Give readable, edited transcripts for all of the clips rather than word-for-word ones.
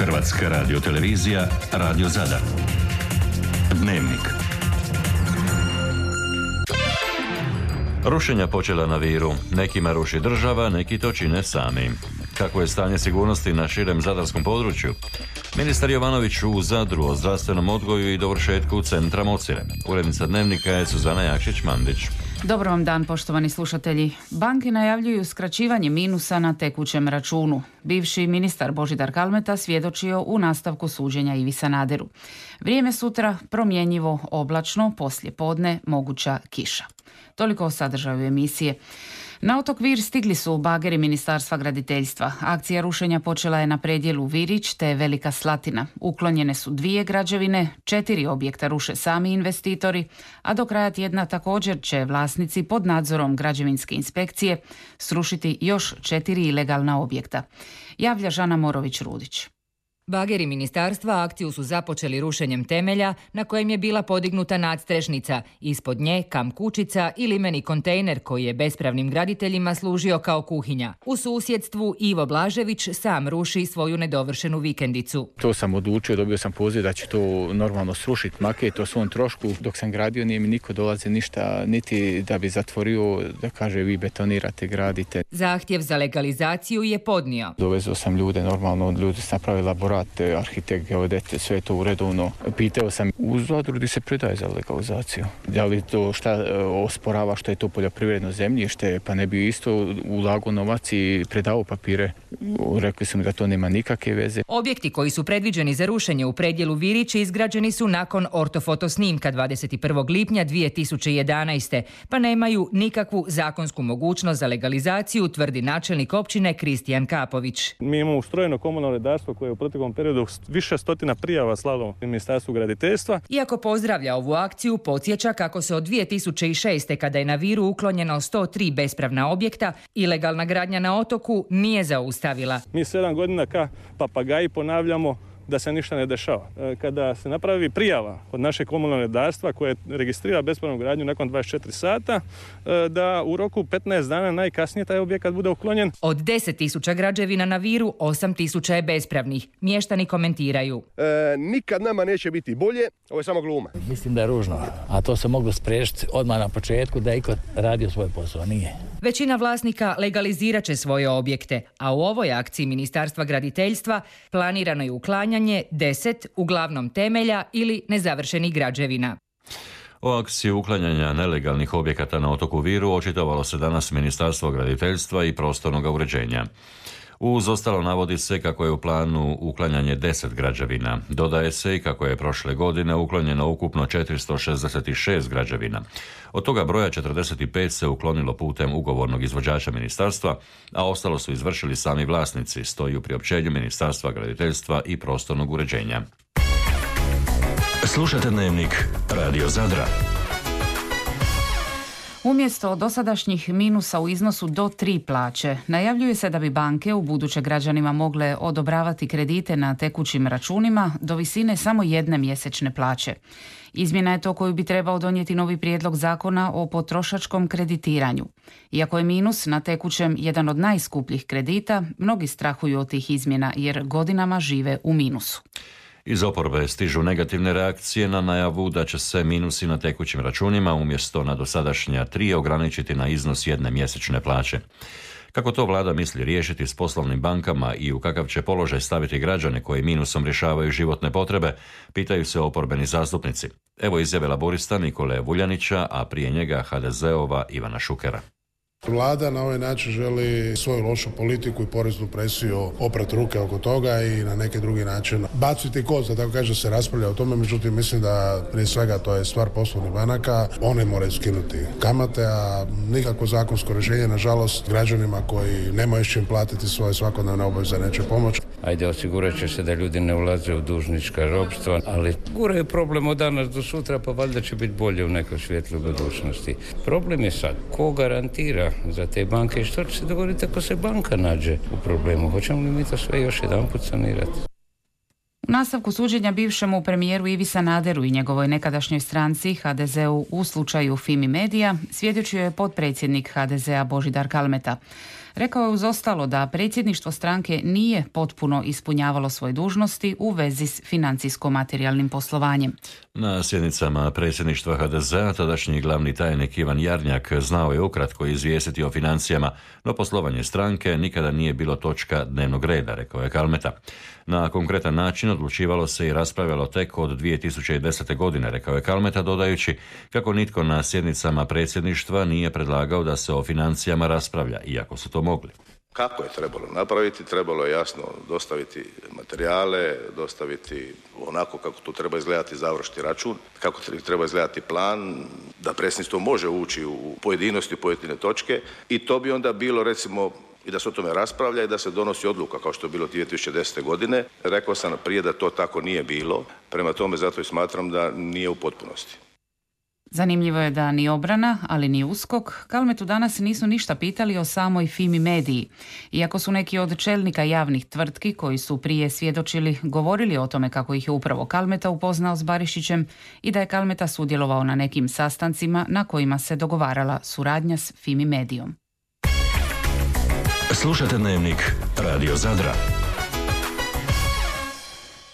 Hrvatska radiotelevizija, Radio Zadar. Dnevnik. Rušenja počela na Viru. Nekima ruši država, neki to čine sami. Kako je stanje sigurnosti na širem zadarskom području? Ministar Jovanović u Zadru o zdravstvenom odgoju i dovršetku centra Mocire. Urednica Dnevnika je Suzana Jakšić-Mandić. Dobar vam dan, poštovani slušatelji. Banke najavljuju skraćivanje minusa na tekućem računu. Bivši ministar Božidar Kalmeta svjedočio u nastavku suđenja Ivi Sanaderu. Vrijeme sutra promjenjivo, oblačno, poslije podne moguća kiša. Toliko o sadržaju emisije. Na otok Vir stigli su bageri Ministarstva graditeljstva. Akcija rušenja počela je na predjelu Virić te Velika Slatina. Uklonjene su 2 građevine, 4 objekta ruše sami investitori, a do kraja tjedna također će vlasnici pod nadzorom građevinske inspekcije srušiti još 4 ilegalna objekta. Javlja Žana Morović-Rudić. Bageri ministarstva akciju su započeli rušenjem temelja na kojem je bila podignuta nadstrešnica, ispod nje kamp kućica i limeni kontejner koji je bespravnim graditeljima služio kao kuhinja. U susjedstvu Ivo Blažević sam ruši svoju nedovršenu vikendicu. To sam odlučio, dobio sam poziv da će to normalno srušiti maket o svom trošku. Dok sam gradio nije mi niko dolazi ništa, niti da bi zatvorio, da kaže vi betonirate, gradite. Zahtjev za legalizaciju je podnio. Dovezao sam ljude, normalno ljudi su napravili laborat, arhitekt, geodet, sve to uredovno. Pitao sam u Zadru gdje se predaje za legalizaciju. Da li to šta osporava što je to poljoprivredno zemljište, pa ne bi isto ulagao novac i predao papire. Rekli su mi da to nema nikakve veze. Objekti koji su predviđeni za rušenje u predjelu Virići izgrađeni su nakon ortofoto snimka 21. lipnja 2011. pa nemaju nikakvu zakonsku mogućnost za legalizaciju, tvrdi načelnik općine Kristijan Kapović. Mi imamo ustrojeno komunalno redarstvo koje je u proteklom periodu više stotina prijava slalo Ministarstvu graditeljstva. Iako pozdravlja ovu akciju, podsjeća kako se od 2006. kada je na Viru uklonjeno 103 bespravna objekta, ilegalna gradnja na otoku nije zaustavila. Mi 7 godina ka papagaji ponavljamo da se ništa ne dešava. Kada se napravi prijava od našeg komunalnog redarstva koje registrira bespravnu gradnju nakon 24 sata, da u roku 15 dana najkasnije taj objekat bude uklonjen. Od 10.000 građevina na Viru, 8.000 je bespravnih. Mještani komentiraju. Nikad nama neće biti bolje, ovo je samo gluma. Mislim da je ružno, a to se moglo spriječiti odmah na početku da je iko radio svoj posao, nije. Većina vlasnika legalizirat će svoje objekte, a u ovoj akciji Ministarstva graditeljstva planirano je uklanjanje 10 uglavnom temelja ili nezavršenih građevina. O akciji uklanjanja nelegalnih objekata na otoku Viru očitovalo se danas Ministarstvo graditeljstva i prostornog uređenja. Uz ostalo navodi se kako je u planu uklanjanje 10 građevina. Dodaje se i kako je prošle godine uklonjeno ukupno 466 građevina. Od toga broja 45 se uklonilo putem ugovornog izvođača ministarstva, a ostalo su izvršili sami vlasnici, stoji u priopćenju Ministarstva graditeljstva i prostornog uređenja. Slušate Dnevnik Radio Zadra. Umjesto dosadašnjih minusa u iznosu do 3 plaće, najavljuje se da bi banke u buduće građanima mogle odobravati kredite na tekućim računima do visine samo 1 mjesečne plaće. Izmjena je to koju bi trebao donijeti novi prijedlog zakona o potrošačkom kreditiranju. Iako je minus na tekućem jedan od najskupljih kredita, mnogi strahuju od tih izmjena jer godinama žive u minusu. Iz oporbe stižu negativne reakcije na najavu da će se minusi na tekućim računima umjesto na dosadašnja 3 ograničiti na iznos 1 mjesečne plaće. Kako to vlada misli riješiti s poslovnim bankama i u kakav će položaj staviti građane koji minusom rješavaju životne potrebe, pitaju se oporbeni zastupnici. Evo izjave laborista Nikole Vuljanića, a prije njega HDZ-ova Ivana Šukera. Vlada na ovaj način želi svoju lošu politiku i poreznu presiju oprati ruke oko toga i na neki drugi način baciti kost, da tako kaže, se raspravlja o tome. Međutim, mislim da prije svega to je stvar poslovnih banaka. One moraju skinuti kamate, a nikakvo zakonsko rješenje, nažalost, građanima koji nemaju s čim platiti svoje svakodnevne obaveze neće pomoći. Ajde, osigurat će se da ljudi ne ulaze u dužnička ropstva, ali guraju problem od danas do sutra, pa valjda će biti bolje u nekoj svijetloj budućnosti. Problem je sad, ko garantira za te banke i što će se dogoditi ako se banka nađe u problemu? Hoćemo li mi to sve još jedanput sanirati? U nastavku suđenja bivšemu premijeru Ivi Sanaderu i njegovoj nekadašnjoj stranci HDZ-u u slučaju Fimi Media svjedočio je potpredsjednik HDZ-a Božidar Kalmeta. Rekao je uz ostalo da predsjedništvo stranke nije potpuno ispunjavalo svoje dužnosti u vezi s financijsko-materijalnim poslovanjem. Na sjednicama predsjedništva HDZ-a tadašnji glavni tajnik Ivan Jarnjak znao je ukratko izvijestiti o financijama, no poslovanje stranke nikada nije bilo točka dnevnog reda, rekao je Kalmeta. Na konkretan način odlučivalo se i raspravljalo tek od 2010. godine, rekao je Kalmeta, dodajući kako nitko na sjednicama predsjedništva nije predlagao da se o financijama raspravlja, iako su to mogli. Kako je trebalo napraviti? Trebalo je jasno dostaviti materijale, dostaviti onako kako tu treba izgledati završni račun, kako treba izgledati plan, da predsjedništvo može ući u pojedinosti, u pojedine točke i to bi onda bilo recimo i da se o tome raspravlja i da se donosi odluka kao što je bilo 2010. godine. Rekao sam prije da to tako nije bilo, prema tome zato i smatram da nije u potpunosti. Zanimljivo je da ni obrana, ali ni USKOK Kalmetu danas nisu ništa pitali o samoj Fimi Mediji. Iako su neki od čelnika javnih tvrtki koji su prije svjedočili govorili o tome kako ih je upravo Kalmeta upoznao s Barišićem i da je Kalmeta sudjelovao na nekim sastancima na kojima se dogovarala suradnja s Fimi Medijom. Slušajte Dnevnik Radio Zadra.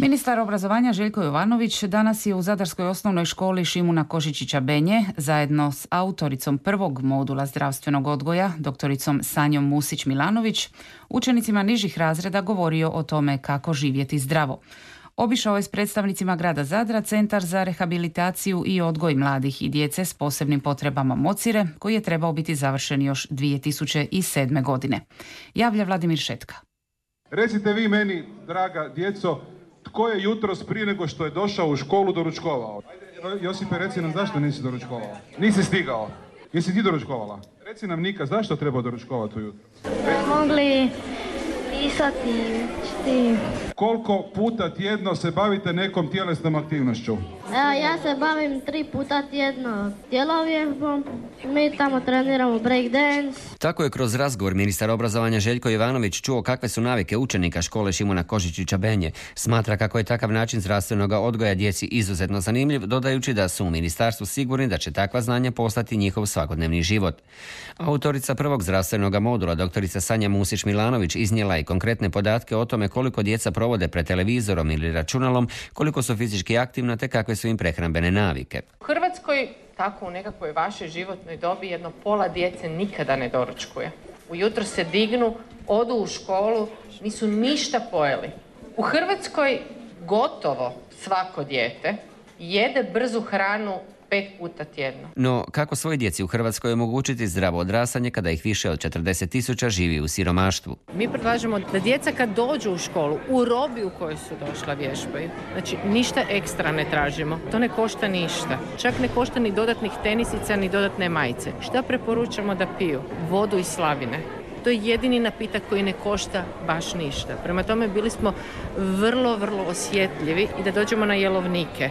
Ministar obrazovanja Željko Jovanović danas je u Zadarskoj osnovnoj školi Šimuna Košičića Benje zajedno s autoricom prvog modula zdravstvenog odgoja, doktoricom Sanjom Musić-Milanović, učenicima nižih razreda govorio o tome kako živjeti zdravo. Obišao je s predstavnicima grada Zadra Centar za rehabilitaciju i odgoj mladih i djece s posebnim potrebama Mocire, koji je trebao biti završen još 2007. godine. Javlja Vladimir Šetka. Recite vi meni, draga djeco, tko je jutros prije nego što je došao u školu doručkovao? Ajde, Josipe, reci nam zašto nisi doručkovao? Nisi stigao. Jesi ti doručkovala? Reci nam, Nika, zašto treba doručkovati ujutro? Mogli pisati, čiti. Koliko puta tjedno se bavite nekom tjelesnom aktivnošću? Ja se bavim 3 puta tjedno tjelovježbom. Mi tamo treniramo breakdance. Tako je kroz razgovor ministar obrazovanja Željko Jovanović čuo kakve su navike učenika škole Šimuna Košičića Benje. Smatra kako je takav način zdravstvenog odgoja djeci izuzetno zanimljiv, dodajući da su u ministarstvu sigurni da će takva znanja postati njihov svakodnevni život. Autorica prvog zdravstvenog modula, doktorica Sanja Musić-Milanović, iznijela je konkretne podatke o tome koliko djeca provode pred televizorom ili računalom, koliko su fizički aktivna te kakve su im prehrambene navike. U Hrvatskoj, tako u nekakvoj vašoj životnoj dobi, jedno pola djece nikada ne doručkuje. Ujutro se dignu, odu u školu, nisu ništa pojeli. U Hrvatskoj gotovo svako dijete jede brzu hranu 5 puta tjedno. No, kako svoj djeci u Hrvatskoj omogućiti zdravo odrastanje kada ih više od 40.000 živi u siromaštvu? Mi predlažemo da djeca kad dođu u školu, u robi u kojoj su došla vježbaju. Znači, ništa ekstra ne tražimo. To ne košta ništa. Čak ne košta ni dodatnih tenisica, ni dodatne majice. Šta preporučamo da piju? Vodu iz slavine. To je jedini napitak koji ne košta baš ništa. Prema tome bili smo vrlo, vrlo osjetljivi i da dođemo na jelovnike.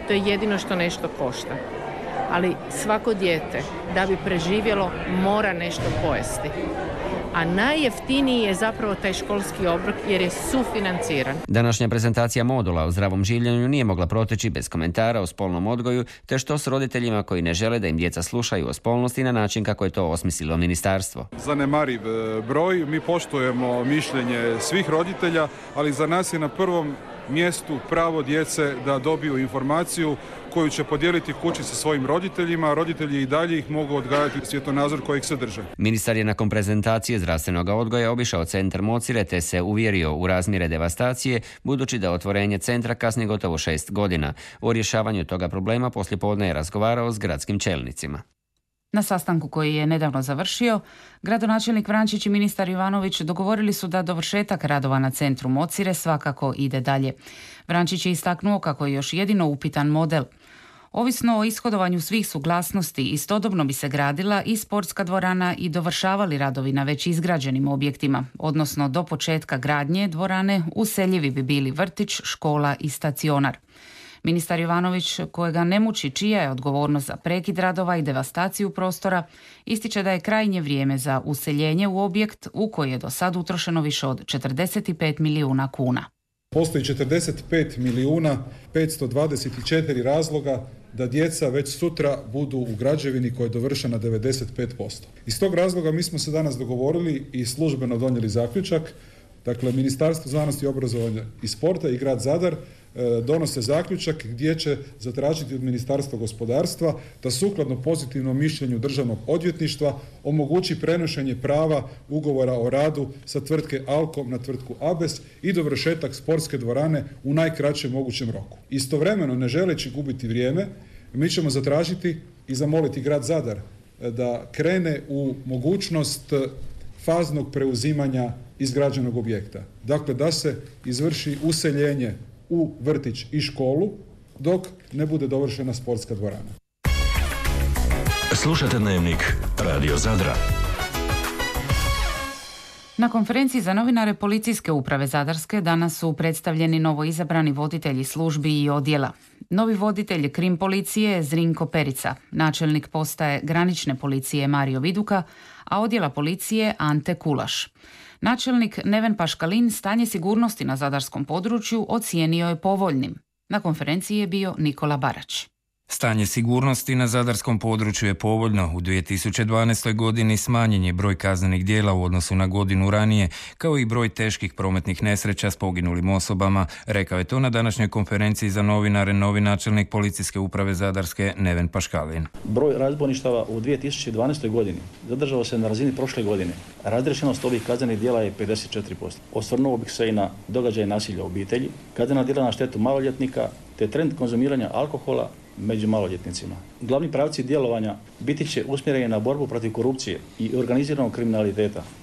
To je jedino što nešto košta. Ali svako dijete, da bi preživjelo, mora nešto pojesti. A najjeftiniji je zapravo taj školski obrok jer je sufinanciran. Današnja prezentacija modula o zdravom življenju nije mogla proteći bez komentara o spolnom odgoju, te što s roditeljima koji ne žele da im djeca slušaju o spolnosti na način kako je to osmislilo ministarstvo. Zanemariv broj, mi poštujemo mišljenje svih roditelja, ali za nas je na prvom mjestu pravo djece da dobiju informaciju koju će podijeliti kući sa svojim roditeljima, a roditelji i dalje ih mogu odgajati svjetonazor kojeg se drže. Ministar je nakon prezentacije zdravstvenog odgoja obišao centar Mocire te se uvjerio u razmjere devastacije, budući da otvorenje centra kasni gotovo 6 godina. O rješavanju toga problema poslijepodne je razgovarao s gradskim čelnicima. Na sastanku koji je nedavno završio, gradonačelnik Vrančić i ministar Jovanović dogovorili su da dovršetak radova na centru Mocire svakako ide dalje. Vrančić je istaknuo kako je još jedino upitan model. Ovisno o ishodovanju svih suglasnosti, istodobno bi se gradila i sportska dvorana i dovršavali radovi na već izgrađenim objektima, odnosno do početka gradnje dvorane useljivi bi bili vrtić, škola i stacionar. Ministar Jovanović, kojega ne muči čija je odgovornost za prekid radova i devastaciju prostora, ističe da je krajnje vrijeme za useljenje u objekt u koji je do sad utrošeno više od 45 milijuna kuna. Postoji 45 milijuna 524 razloga da djeca već sutra budu u građevini koja je dovršena 95%. Iz tog razloga mi smo se danas dogovorili i službeno donijeli zaključak. Dakle, Ministarstvo znanosti, obrazovanja i sporta i grad Zadar donose zaključak gdje će zatražiti od Ministarstva gospodarstva da sukladno pozitivnom mišljenju Državnog odvjetništva omogući prenošenje prava ugovora o radu sa tvrtke Alkom na tvrtku Abes i dovršetak sportske dvorane u najkraćem mogućem roku. Istovremeno, ne želeći gubiti vrijeme, mi ćemo zatražiti i zamoliti grad Zadar da krene u mogućnost faznog preuzimanja izgrađenog objekta. Dakle, da se izvrši useljenje u vrtić i školu dok ne bude dovršena sportska dvorana. Slušajte Dnevnik Radio Zadra. Na konferenciji za novinare Policijske uprave Zadarske danas su predstavljeni novoizabrani voditelji službi i odjela. Novi voditelj krim policije Zrinko Perica, načelnik postaje granične policije Mario Viduka, a odjela policije Ante Kulaš. Načelnik Neven Paškalin stanje sigurnosti na zadarskom području ocijenio je povoljnim. Na konferenciji je bio Nikola Barać. Stanje sigurnosti na zadarskom području je povoljno. U 2012. godini smanjen je broj kaznenih djela u odnosu na godinu ranije, kao i broj teških prometnih nesreća s poginulim osobama. Rekao je to na današnjoj konferenciji za novinare novi načelnik Policijske uprave Zadarske Neven Paškalin. Broj razbojništava u 2012. godini zadržao se na razini prošle godine. Razriješenost ovih kaznenih djela je 54%. Osvrnuo bih se i na događaje nasilja u obitelji, kaznena djela na štetu maloljetnika, te trend konzumiranja alkohola među maloljetnicima. Glavni pravci djelovanja biti će usmjereni na borbu protiv korupcije i organiziranog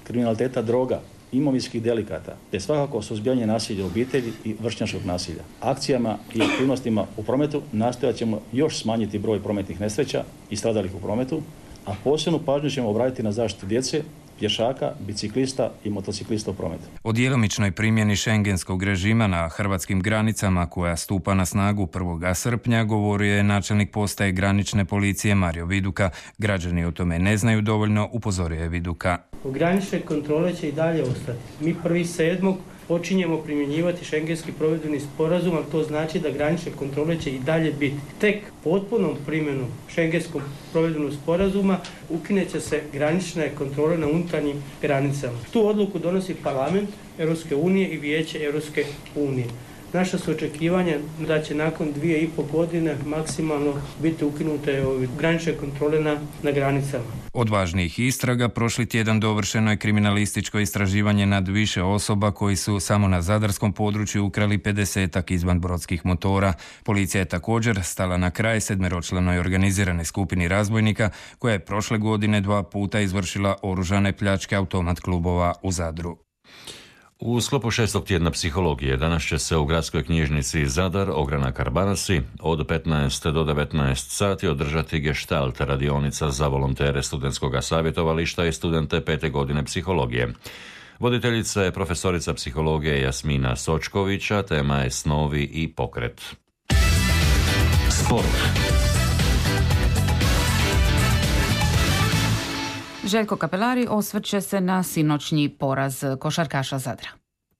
kriminaliteta droga, imovinskih delikata, te svakako suzbijanje nasilja u obitelji i vršnjačkog nasilja. Akcijama i aktivnostima u prometu nastojat ćemo još smanjiti broj prometnih nesreća i stradalih u prometu, a posebnu pažnju ćemo obratiti na zaštitu djece, pješaka, biciklista i motociklista u prometu. O djelomičnoj primjeni šengenskog režima na hrvatskim granicama koja stupa na snagu 1. srpnja govorio je načelnik postaje granične policije Mario Viduka. Građani o tome ne znaju dovoljno, upozorio je Viduka. Granične kontrole će i dalje ostati. Mi 1.7. počinjemo primjenjivati šengenski provedbeni sporazum, ali to znači da granične kontrole će i dalje biti. Tek potpunom primjenom šengenskog provedbenog sporazuma ukineće se granične kontrole na unutarnjim granicama. Tu odluku donosi Parlament Europske unije i Vijeće Europske unije. Naša su očekivanja da će nakon 2,5 godine maksimalno biti ukinute granične kontrole na granicama. Od važnijih istraga prošli tjedan dovršeno je kriminalističko istraživanje nad više osoba koji su samo na zadarskom području ukrali 50-ak izvanbrodskih motora. Policija je također stala na kraj 7-članoj organiziranoj skupini razbojnika koja je prošle godine 2 puta izvršila oružane pljačke automat klubova u Zadru. U sklopu 6. tjedna psihologije danas će se u gradskoj knjižnici Zadar, Ogranak Arbanasi, od 15 do 19 sati održati gestalt radionica za volontere studentskog savjetovališta i studente 5. godine psihologije. Voditeljica je profesorica psihologije Jasmina Sočkovića, tema je snovi i pokret. Sport. Željko Kapelari osvrće se na sinoćnji poraz košarkaša Zadra.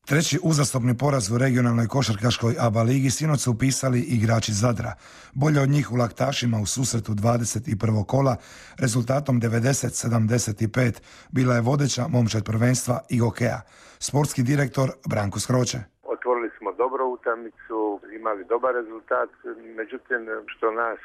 Treći uzastopni poraz u regionalnoj košarkaškoj ABA ligi sinoć su upisali igrači Zadra. Bolje od njih u Laktašima u susretu 21. kola rezultatom 90-75 bila je vodeća momčad prvenstva i hokeja. Sportski direktor Branko Skroće. Otvorili smo dobro utakmicu, imali dobar rezultat, međutim što nas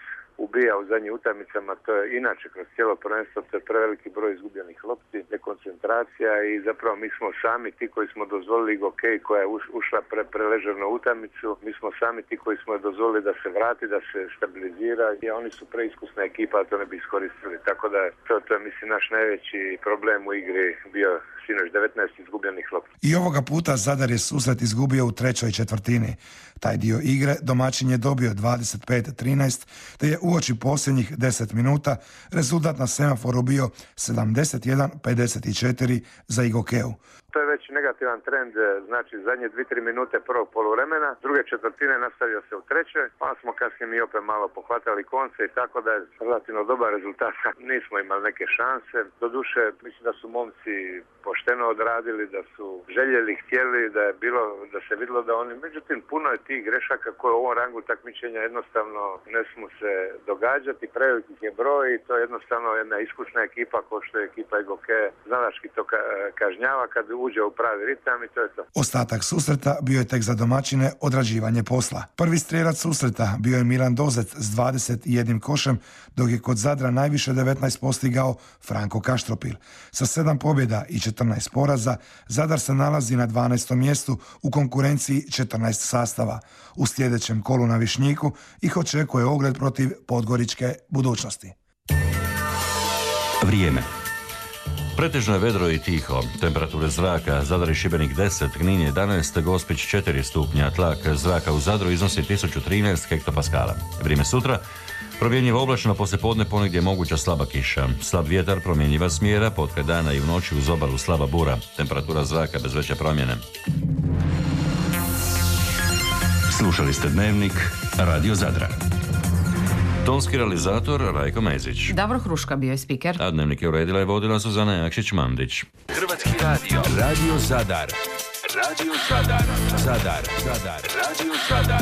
ubija u zadnjim utakmicama, to je inače kroz cijelo prvenstvo, to je preveliki broj izgubljenih lopti, dekoncentracija i zapravo mi smo sami ti koji smo dozvolili hokej koja je ušla preležerno u utakmicu, mi smo sami ti koji smo dozvolili da se vrati, da se stabilizira i oni su preiskusna ekipa, a to ne bi iskoristili, tako da to je mislim naš najveći problem u igri bio sinoć, 19 izgubljenih lopti. I ovoga puta Zadar je susret izgubio u trećoj četvrtini. Taj dio igre domaćin je dobio 25-13, te je uoči posljednjih 10 minuta rezultat na semaforu bio 71-54 za Igokeu. To je već negativan trend, znači zadnje 2-3 minute prvog poluvremena, druge četvrtine nastavio se u trećoj, pa smo kasnije mi opet malo pohvatali konce i tako da je relativno dobar rezultat. Nismo imali neke šanse, doduše mislim da su momci pošteno odradili, da su željeli, htjeli, da se vidjelo da oni, međutim puno je tih grešaka koje u ovom rangu takmičenja jednostavno ne smu se događati, prevelikih je broj i to je jednostavno jedna iskusna ekipa kao što je ekipa Egoke, znalački to kažnjava kad uđe u pravi ritam i to je to. Ostatak susreta bio je tek za domaćine odrađivanje posla. Prvi strijelac susreta bio je Milan Dozec s 21 košem, dok je kod Zadra najviše 19 postigao Franko Kaštropil. Sa 7 pobjeda i 14 poraza, Zadar se nalazi na 12. mjestu u konkurenciji 14 sastava. U sljedećem kolu na Višnjiku ih očekuje ogled protiv podgoričke Budućnosti. Vrijeme. Pretežno je vedro i tiho. Temperature zraka Zadar i Šibenik 10, Knin 11, Gospić 4 stupnja, tlak zraka u Zadru iznosi 1013 hektopaskala. Vrijeme sutra, promjenjivo oblačno, poslijepodne ponegdje moguća slaba kiša. Slab vjetar, promjenjiva smjera, potkraj dana i u noći uz obalu slaba bura. Temperatura zraka bez veće promjene. Slušali ste Dnevnik Radio Zadra. Tonski realizator Rajko Mezić. Davor Hruška bio je spiker. A Dnevnik je uredila i vodila Suzana Jakšić-Mandić. Hrvatski radio. Radio Zadar. Radio Zadar. Zadar. Radio Zadar.